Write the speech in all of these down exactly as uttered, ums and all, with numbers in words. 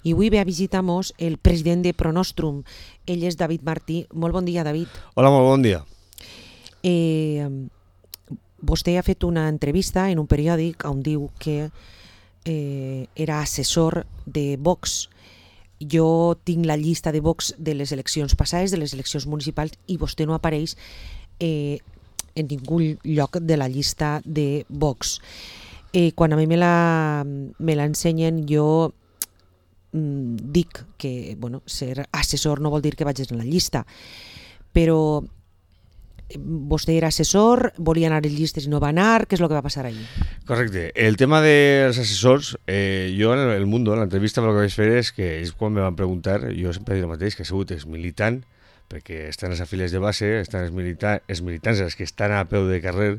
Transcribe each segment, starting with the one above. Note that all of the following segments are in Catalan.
i avui ve a visitar-nos el president de Pronostrum. Ell és David Martí. Molt bon dia, David. Hola, molt bon dia. Eh, vostè ha fet una entrevista en un periòdic on diu que eh, era assessor de Vox. Jo tinc la llista de Vox de les eleccions passades, de les eleccions municipals, i vostè no apareix eh, en ningú lloc de la llista de Vox. Eh, quan a mi me la, me l'ensenyen, jo mm, dic que bueno, ser assessor no vol dir que vagis en la llista, però vostè era assessor, volia anar en llistes i no va anar, què és el que va passar allí? Correcte. El tema dels assessors, eh, jo en el Mundo, en l'entrevista, el que vaig fer és que ells quan me van preguntar, jo sempre he dit el mateix, que ha sigut exmilitant, perquè estan les afiliats de base, estan els, milita els militants, els que estan a peu de carrer,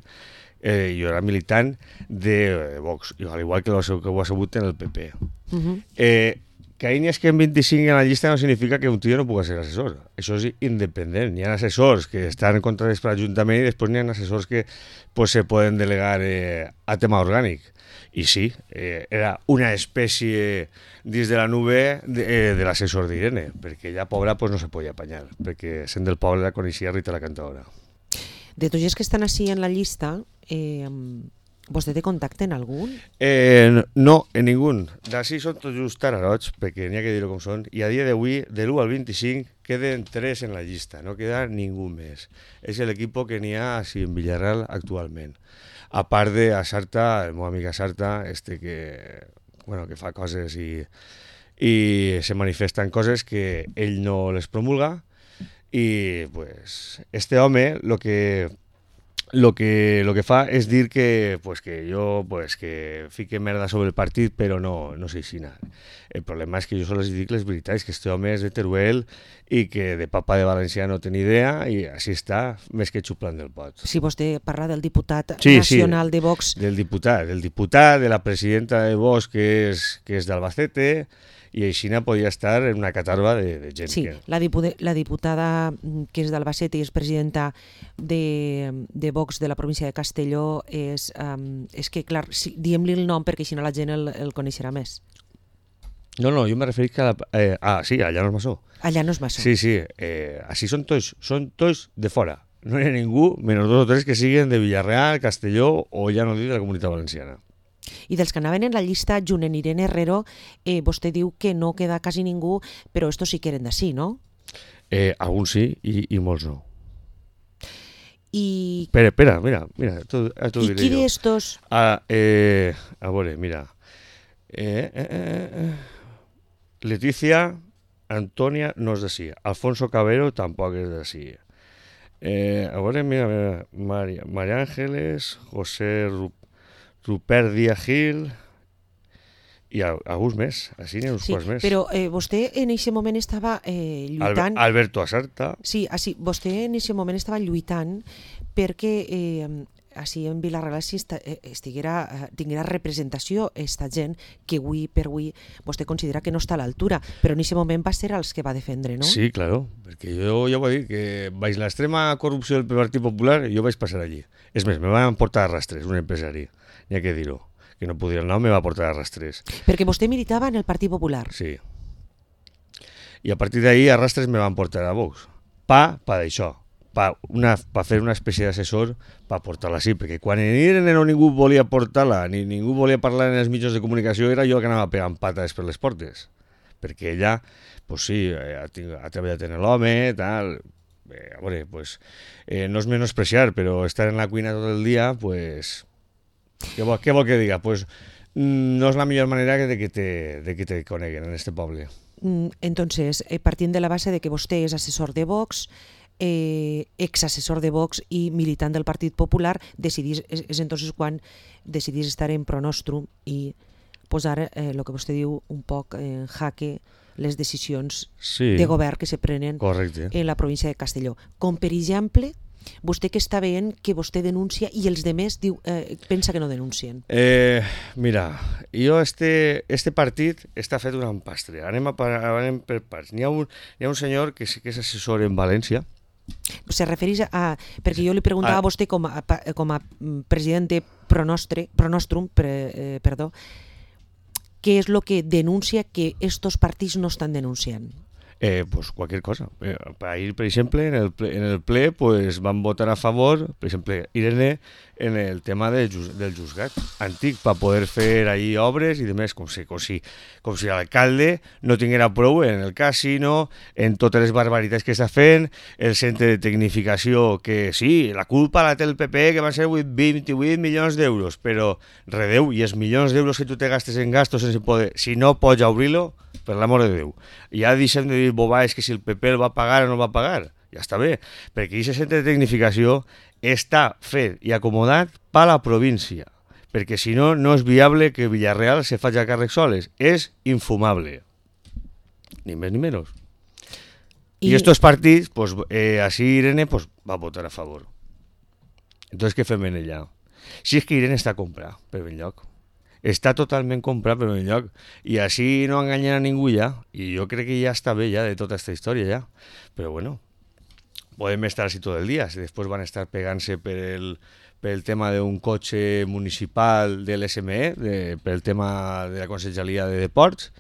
eh, jo era militant de Vox, al igual que, lo, que ho ha sabut en el P P. Uh -huh. eh, que ahí n'hi ha que en vint-i-cinc en la llista no significa que un tio no pugui ser assessor. Això és independent. Hi ha assessors que estan contratats per l'Ajuntament i després n'hi ha assessors que pues, se poden delegar eh, a tema orgànic. I sí, eh, era una espècie dins de la nube de, eh, de l'assessor d'Irene, perquè ella, pobra, pues, no se podia apanyar, perquè sent del poble la coneixia Rita la cantadora. De tots els que estan així en la llista, eh, vostè té contacte en algun? Eh, no, en ningú. D'ací són tots just tararots, perquè n'hi ha que dir-ho com són, i a dia d'avui, de l'u al vint-i-cinc, queden tres en la llista, no queda ningú més. És l'equip que n'hi ha així en Villarreal actualment. A part de a Sarta, el meu amic a Sarta, este que, bueno, que fa coses i, i se manifesten coses que ell no les promulga, i pues, este home, lo que... Lo que, lo que fa és dir que, pues, que jo pues, que fique merda sobre el partit, però no, no sé si anar. El problema és que jo sols dic les veritats, que este home és de Teruel i que de papa de València no té ni idea i així està, més que xuplant del pot. Si vostè parla del diputat sí, nacional sí, de Vox... del diputat, del diputat, de la presidenta de Vox, que és, que és d'Albacete, i així podia estar en una catarba de, de gent. Sí, que... la, dipu la diputada que és d'Albacete i és presidenta de, de Vox de la província de Castelló és, um, és que, clar, si, diem-li el nom perquè així no la gent el, el coneixerà més. No, no, jo me referís que... A la, eh, ah, sí, allà no és Massó. Allà no és Massó. Sí, sí, eh, així són tots, són tots de fora. No hi ha ningú, menys dos o tres que siguen de Villarreal, Castelló o ja no dic de la Comunitat Valenciana. I dels que anaven en la llista, junt en Irene Herrero, eh, vostè diu que no queda quasi ningú, però estos sí que eren d'ací, no? Eh, alguns sí i, i molts no. I... Espera, espera, mira, mira, tu, tu I qui d'estos? Ah, eh, a veure, mira. Eh, eh, eh, Leticia Antonia no és d'ací. Alfonso Cabero tampoc és d'ací. Eh, a veure, mira, mira María, María Ángeles, José Rup Rupert Díaz Gil i alguns més, així n'hi ha uns sí, quants més. Però eh, vostè en aquest moment estava eh, lluitant... Al Alberto Asarta. Sí, així, vostè en aquest moment estava lluitant perquè eh, així en Vilareal estiguera, tinguera representació esta gent que avui per avui vostè considera que no està a l'altura, però en aquest moment va ser els que va defendre, no? Sí, claro, perquè jo ja ho he dit, que baix l'extrema corrupció del Partit Popular jo vaig passar allí. És més, me van portar a rastres, un empresari. N'hi ha que dir-ho, que no podia el nom, me va portar a rastres. Perquè vostè militava en el Partit Popular. Sí. I a partir d'ahí a rastres me van portar a Vox. Pa, pa d'això. Pa, una, pa fer una espècie d'assessor pa portar-la així, perquè quan en Irene no ningú volia portar-la, ni ningú volia parlar en els mitjans de comunicació, era jo que anava pegant pates per les portes. Perquè ella, pues sí, ha, ha treballat en l'home, tal... Eh, a veure, pues, eh, no és menospreciar, però estar en la cuina tot el dia, pues... Què vol, què vol que diga? Pues no és la millor manera de que te, de que te coneguen en este poble. Entonces, eh, partint de la base de que vostè és assessor de Vox, eh, exassessor de Vox i militant del Partit Popular, decidís, és, és entonces quan decidís estar en Pronostrum i posar eh, el que vostè diu un poc en jaque les decisions sí, de govern que se prenen correcte. En la província de Castelló. Com per exemple... Vostè que està veient que vostè denuncia i els demés diu, eh, pensa que no denuncien. Eh, mira, jo este, este partit està fet un empastre. Anem, a, anem per parts. N'hi ha, un, hi ha un senyor que sí que és assessor en València. Se refereix a... Perquè jo li preguntava a, a vostè com a, com a president de Pronostre, Pronostrum, pre, eh, perdó, què és el que denuncia que estos partits no estan denunciant? Eh, pues cualquier cosa. Eh, para ir, por ejemplo, en el ple, en el ple pues van votar a favor, por ejemplo, Irene, en el tema del, del juzgat antic, para poder fer ahí obres i demés, com si, com si, com si l'alcalde no tinguera prou en el casino, en totes les barbaritats que està fent, el centre de tecnificació, que sí, la culpa la té el P P, que van ser vint-i-vuit milions d'euros, però redeu, i els milions d'euros que tu te gastes en gastos sense poder, si no pots obrir-lo, per l'amor de Déu. Ja deixem de dir bobades que si el P P el va pagar o no va pagar. Ja està bé, perquè aquest centre de tecnificació està fet i acomodat per la província, perquè si no, no és viable que Villarreal se faci a càrrec soles. És infumable. Ni més ni menys. I, I estos partits, pues, eh, així Irene pues, va votar a favor. Entonces, què fem en ella? Si és que Irene està a comprar, per ben lloc. Està totalment comprat per un lloc i així no enganyen a ningú ja, i jo crec que ja està bé ja de tota aquesta història ja, però bueno, podem estar així tot el dia, si després van estar pegant-se per el, per el tema d'un cotxe municipal de l'S M E, de, per el tema de la Conselleria de Deports,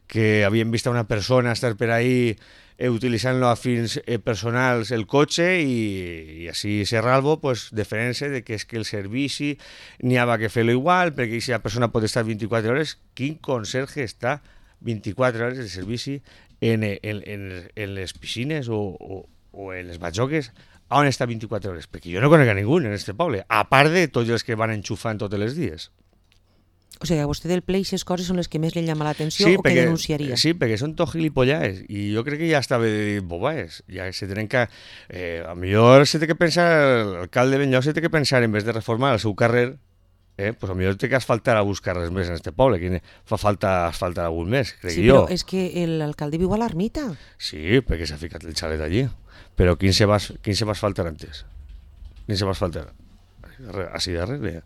que havien vist a una persona estar per ahí eh, utilitzant-lo a fins eh, personals el cotxe i, i així Serralvo pues, defenent-se de que és que el servici n'hi ha que fer-lo igual perquè si la persona pot estar vint-i-quatre hores, quin conserge està vint-i-quatre hores de servici en, en, en, en les piscines o, o, o en les batjoques on està vint-i-quatre hores? Perquè jo no conec a ningú en este poble, a part de tots els que van enxufant tots els dies. O sigui, a vostè del ple aquestes coses són les que més li llama l'atenció sí, o perquè, que denunciaria? Sí, perquè són tot gilipollades i jo crec que ja està bé de dir bobades. Ja se tenen que... Eh, a millor se té que pensar, l'alcalde de Benlloc se té que pensar, en vez de reformar el seu carrer, eh, pues a millor té que asfaltar alguns carrers més en este poble, que fa falta asfaltar algun més, crec sí, jo. Sí, però és que l'alcalde viu a l'ermita. Sí, perquè s'ha ficat el xalet allí. Però quin se va, quin se va asfaltar antes? Quin se va asfaltar? Així darrere,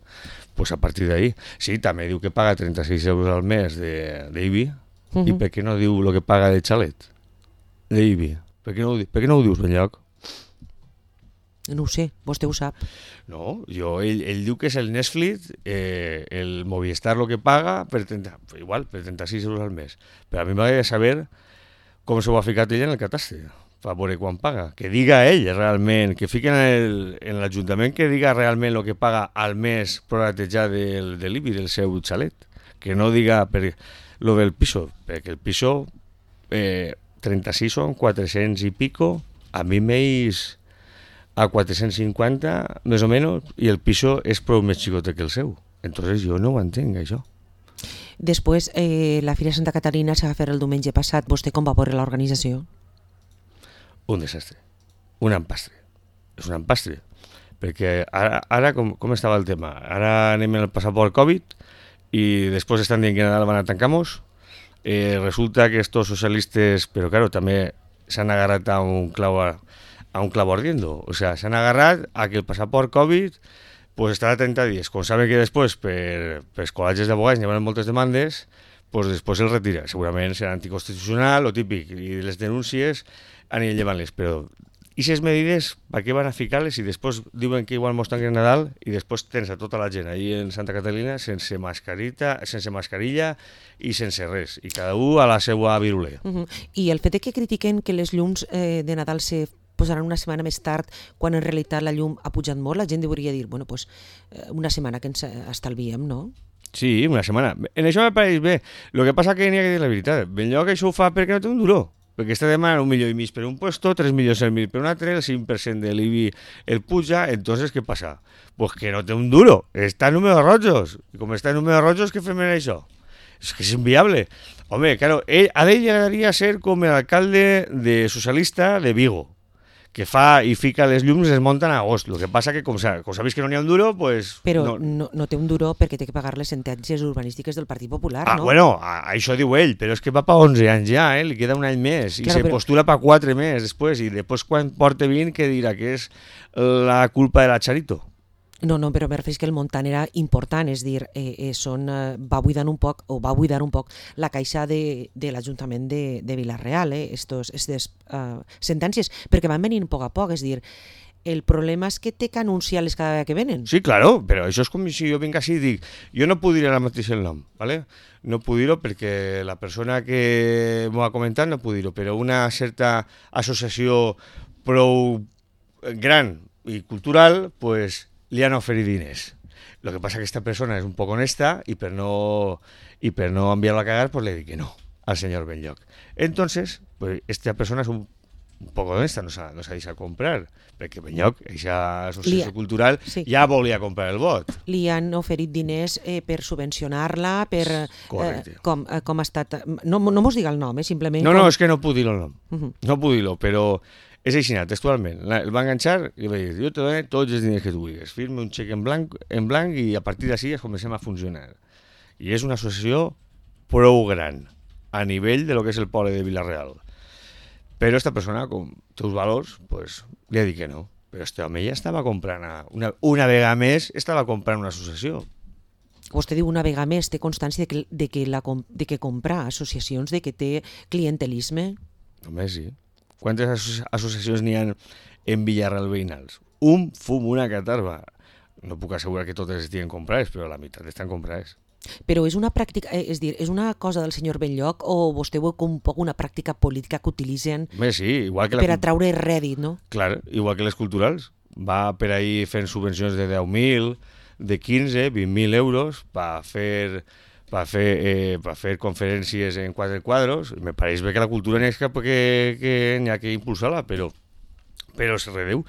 pues a partir d'ahí sí, també diu que paga trenta-sis euros al mes d'I B I uh-huh. I per què no diu el que paga de xalet d'I B I? Per què no ho, per què no ho dius ben lloc? No ho sé, vostè ho sap. No, jo, ell, ell diu que és el Netflix, eh, el Movistar el que paga per trenta, igual, per trenta-sis euros al mes, però a mi m'agradaria saber com s'ho ha ficat ell en el catàstre per veure quan paga, que diga ell realment, que fiquen en l'Ajuntament que diga realment el que paga al mes proratejat del, de l'I B I, del seu xalet, que no diga per lo del piso, perquè el piso eh, trenta-sis són quatre-cents i pico, a mi m'eix a quatre-cents cinquanta més o menys, i el piso és prou més xicote que el seu, entonces jo no ho entenc això. Després, eh, la Fira Santa Caterina se va fer el diumenge passat, vostè com va veure l'organització? Un desastre, un empastre, és un empastre, perquè ara, ara com, com estava el tema? Ara anem en el passaport Covid i després estan dient que Nadal van a tancar-nos, eh, resulta que estos socialistes, però claro, també s'han agarrat a un clau, a, a un clau ardiendo, o sea, s'han agarrat a que el passaport Covid pues estarà trenta dies, com saben que després per, per els col·legis d'abogats hi ha moltes demandes, pues després el retira, segurament serà anticonstitucional o típic, i les denúncies aniran llevant-les, però aquestes medides, per què van a ficar-les i després diuen que igual mos tanquen Nadal i després tens a tota la gent allí en Santa Catalina sense mascarita, sense mascarilla i sense res, i cada un a la seva virulea. Uh-huh. I el fet de que critiquen que les llums eh, de Nadal se posaran una setmana més tard, quan en realitat la llum ha pujat molt, la gent hauria dir, bueno, pues, una setmana que ens estalviem, no? Sí, una setmana. En això me pareix bé. El que passa que n'hi ha que dir la veritat. Ben lloc això ho fa perquè no té un duró. Perquè està demanant un milió i mig per un puesto, tres milions i mig per un altre, el cinc per cent de l'I B I el puja, entonces què passa? Pues que no té un duro, està en números rojos. I com està en números rojos, què fem en això? És que és inviable. Home, claro, ell, a ell li agradaria ser com l'alcalde de socialista de Vigo, que fa i fica les llums i es munten a agost. El que passa que, com s'ha vist que no n'hi ha un duro, pues... Però no... No, no té un duro perquè té que pagar les sentències urbanístiques del Partit Popular, ah, no? Bueno, a, això diu ell, però és que va per onze anys ja, eh? Li queda un any més, i claro, se però... postula per quatre més després, i després quan porta vint, que dirà que és la culpa de la Charito. No, no, però me refereix que el muntant era important, és dir, eh, eh, són, eh, va buidar un poc, o va buidar un poc la caixa de, de l'Ajuntament de, de Vila-real, eh, estos, estes uh, sentències, perquè van venint a poc a poc, és dir, El problema és que té que anunciar-les cada vegada que venen. Sí, claro, però això és com si jo vinc així i dic, jo no puc dir ara mateix el nom, ¿vale? No puc dir-ho perquè la persona que m'ho ha comentat no puc dir-ho, però una certa associació prou gran i cultural, pues, li han oferit diners. Lo que pasa que esta persona es un poco honesta y per no, y per no enviarlo a cagar, pues le di que no al señor Benlloch. Entonces, pues esta persona es un, un poco honesta, no s'ha no deixat comprar, perquè Benlloch, aquesta associació Li- cultural, sí. ja volia comprar el vot. Li han oferit diners eh, per subvencionar-la, per... Correcte. Eh, com, eh, com ha estat... No, no mos diga el nom, eh, simplement... No, com... no, és que no puc dir-lo el nom. Uh -huh. No puc dir-lo, però és així, textualment. La- El va enganxar i va dir, jo te dono tots els diners que tu vulguis, firme un xec en blanc, en blanc i a partir d'ací es comencem a funcionar. I és una associació prou gran a nivell de lo que és el poble de Vila-real. Però esta persona, com té uns valors, pues, li ha dit que no. Però este home ja estava comprant, a- una, una vegada més, estava comprant una associació. Vostè diu una vegada més, té constància de que, de que, la, com- de que compra associacions, de que té clientelisme? Només sí. Quantes asso associacions n'hi ha en Villarreal veïnals? Un fum, una catarba. No puc assegurar que totes estiguen comprades, però la meitat estan comprades. Però és una pràctica, eh, és dir, és una cosa del senyor Benlloch o vostè veu com un poc una pràctica política que utilitzen Bé, sí, igual que la... per atraure rèdit, no? Clar, igual que les culturals. Va per ahí fent subvencions de deu mil, de quinze, vint mil euros per fer, per fer, eh, per fer conferències en quatre quadros. Me pareix bé que la cultura n'hi ha que, que, n'hi ha que impulsar-la, però, però se redeu.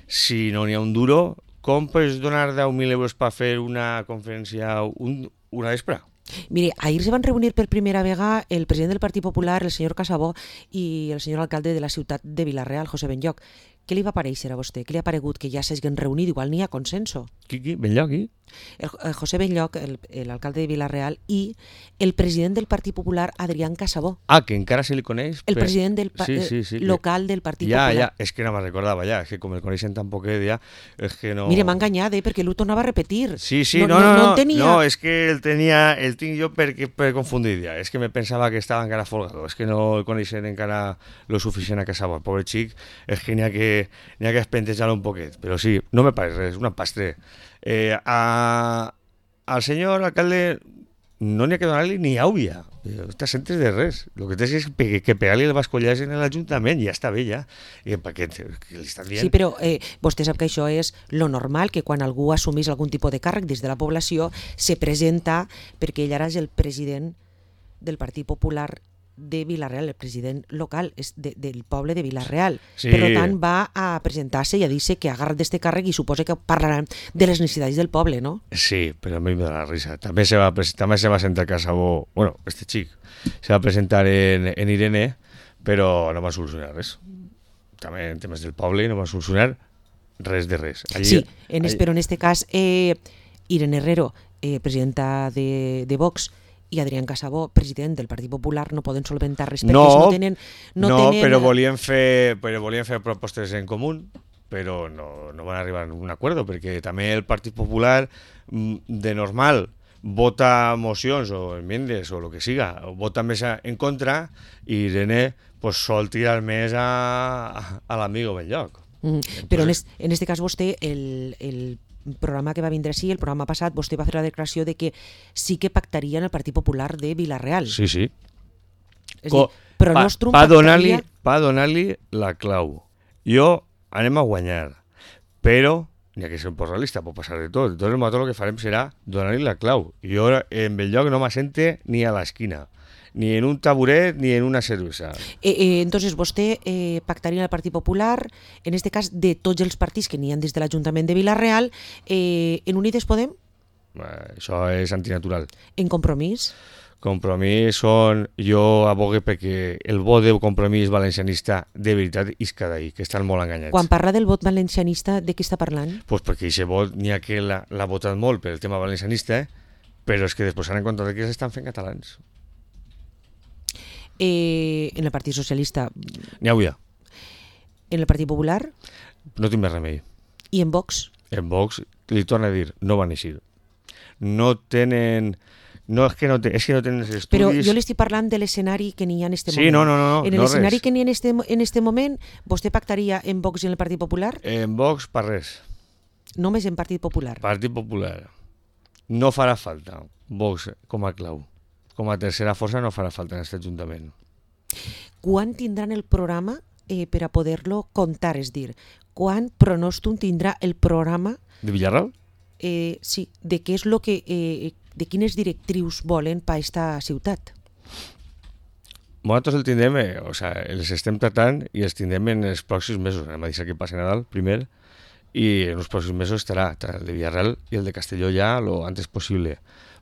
Si no n'hi ha un duro, com pots donar deu mil euros per fer una conferència un, una vespre? Mire, ahir se van reunir per primera vegada el president del Partit Popular, el senyor Casabó, i el senyor alcalde de la ciutat de Vila-real, José Benlloch. Què li va parèixer a vostè? Què li ha paregut que ja s'hagin reunit? Igual n'hi ha consenso. Qui, qui? Benlloch, qui? El, el José Benlloch, el, el alcalde de Vila-real, i el president del Partit Popular, Adrián Casabó. Ah, que encara se li coneix? El per... president del pa- sí, sí, sí, local del Partit ja, Popular. Ja, és que no me'n recordava ja, és que com el coneixen tan poquet ja, és que no... Mire, m'ha enganyat, eh, perquè l'ho tornava a repetir. Sí, sí, no, no, no, no, no, tenia... no, és que el tenia, el tinc jo per, per confundir ja, és que me pensava que estava encara folgado, és que no el coneixen encara lo suficient a Casabó, el pobre xic, és que n'hi ha que, n'hi ha que espentejar-lo un poquet, però sí, no me pareix res, una pastre. Eh, a, al senyor alcalde no n'hi ha que donar-li ni àuia, està centres de res, el que té és que, que pegar-li el bascollàs en l'Ajuntament, ja està bé ja, i per què que li estan dient... Sí, però eh, vostè sap que això és lo normal, que quan algú assumís algun tipus de càrrec des de la població se presenta, perquè ell ara és el president del Partit Popular de Vila-real, el president local és de, del poble de Vila-real. Sí. Per tant, va a presentar-se i a dir-se que agarra d'este càrrec i suposa que parlaran de les necessitats del poble, no? Sí, però a mi me da la risa. També se va, també se va sentar Casabó, bueno, este xic, se va presentar en, en Irene, però no va solucionar res. També en temes del poble no va solucionar res de res. Allí, sí, en, allí... però en este cas, eh, Irene Herrero, eh, presidenta de, de Vox, i Adrián Casabó, president del Partit Popular, no poden solventar res perquè no, no tenen... No, no tenen... però, volien fer, però volien fer propostes en comú, però no, no van arribar a un acord, perquè també el Partit Popular, de normal, vota mocions o enmiendes o el que siga, vota més en contra, i Irene pues, sol tirar més a, a l'amigo Benlloch. Mm, Entonces... Però en este, en este cas vostè, el... el programa que va vindre així, el programa passat, vostè va fer la declaració de que sí que pactarien el Partit Popular de Vila-real. Sí, sí. És dir, però pa, Nostrum pa pactaria... Pa donar-li la clau. Jo anem a guanyar, però n'hi ha que ser un poc realista, pot passar de tot. Entonces, tot el que farem serà donar-li la clau. I jo en Benlloch no m'assente ni a l'esquina, ni en un taburet ni en una cervesa. Eh, eh, entonces vostè eh, pactaria el Partit Popular, en este cas de tots els partits que n'hi ha des de l'Ajuntament de Vila-real, eh, en Unides Podem? Eh, això és antinatural. En Compromís? Compromís són... Jo abogue perquè el vot de Compromís valencianista de veritat isca d'ahir, que estan molt enganyats. Quan parla del vot valencianista, de què està parlant? Pues perquè aquest vot n'hi ha que l'ha votat molt per el tema valencianista, però és que després s'han encontrat que s'estan fent catalans. Eh, en el Partit Socialista... N'hi hauria. En el Partit Popular? No tinc més remei. I en Vox? En Vox, li torno a dir, no van eixir. No tenen No, és que no, te, és que no tenen els estudis... Però jo li estic parlant de l'escenari que n'hi ha en aquest sí, moment. no, no, no, en no l'escenari res. que n'hi ha en este, en este moment, vostè pactaria en Vox i en el Partit Popular? En Vox, per res. Només en Partit Popular. Partit Popular. No farà falta Vox com a clau. Com a tercera força no farà falta en aquest Ajuntament. Quan tindran el programa eh, per a poder-lo contar? És dir, quan Pronòstum tindrà el programa... De Villarreal? Eh, sí, de què és lo que... Eh, de quines directrius volen per a aquesta ciutat? Nosaltres el tindrem, eh, o sea, els estem tratant i els tindrem en els pròxims mesos. Anem a deixar que passi Nadal primer i en els pròxims mesos estarà el de Villarreal i el de Castelló ja lo antes possible.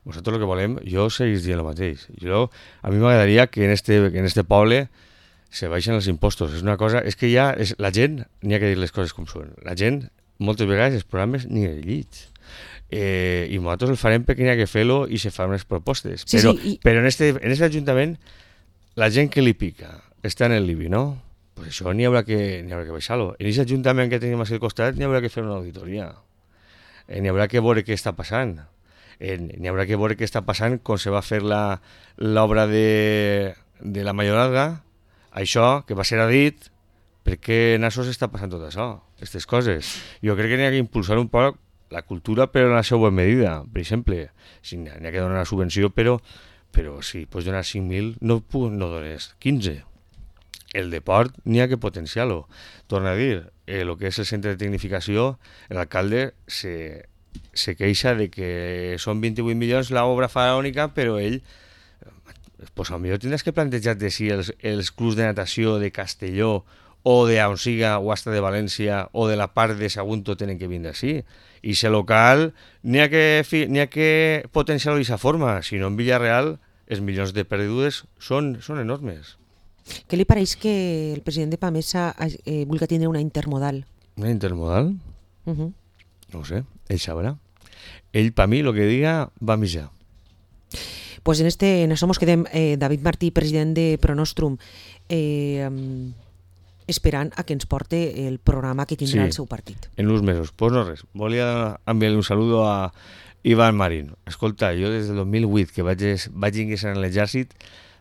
Nosaltres el que volem, jo seguís dient el mateix. Jo, a mi m'agradaria que en este, que en este poble se baixen els impostos. És una cosa, és que ja és, la gent, n'hi ha que dir les coses com són. La gent, moltes vegades, els programes ni el llits. Eh, i nosaltres el farem perquè n'hi ha que fer-lo i se fan unes propostes. Sí, però sí, i... però en, este, en este Ajuntament la gent que li pica està en el Libi, no? Pues això n'hi haurà que, n'hi haurà que baixar-lo. En aquest Ajuntament que tenim al costat n'hi haurà que fer una auditoria. Eh, n'hi haurà que veure què està passant. Eh, n'hi haurà que veure què està passant quan se va fer la, l'obra de, de la Mayorazga, això que va ser a dit, per què en això s'està passant tot això, aquestes coses. Jo crec que n'hi ha que impulsar un poc la cultura, però en la seva medida. Per exemple, si n'hi ha que donar una subvenció, però, però si pots donar cinc mil, no, no dones quinze. El deport n'hi ha que potenciar-lo. Torna a dir, eh, el que és el centre de tecnificació, l'alcalde se, se queixa de que són vint-i-vuit milions l'obra faraònica, però ell, pues, potser tindràs que plantejar-te si els, els clubs de natació de Castelló o de on siga, o hasta de València, o de la part de Sagunto tenen que vindre així. I si local n'hi ha que, n'hi ha que potenciar-lo d'aquesta forma, si no en Villarreal els milions de perdudes són, són enormes. Què li pareix que el president de Pamesa eh, vulgui tindre una intermodal? Una intermodal? Uh -huh. No ho sé, ell sabrà. Ell, per mi, el que diga, va mitjar. Pues en, este, en això mos quedem. Eh, David Martí, president de Pronòstrum, eh, um, esperant a que ens porte el programa que tindrà sí, el seu partit. En uns mesos. Pues no res. Volia enviar un saludo a Iván Marín. Escolta, jo des del dos mil vuit que vaig, vaig ingressar en l'exèrcit,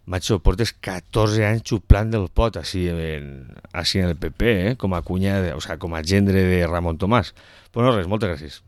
macho, portes catorze anys xuplant del pot així en, així en el P P, eh? com a cunyada, o sea, com a gendre de Ramon Tomàs. Pues no res, moltes gràcies.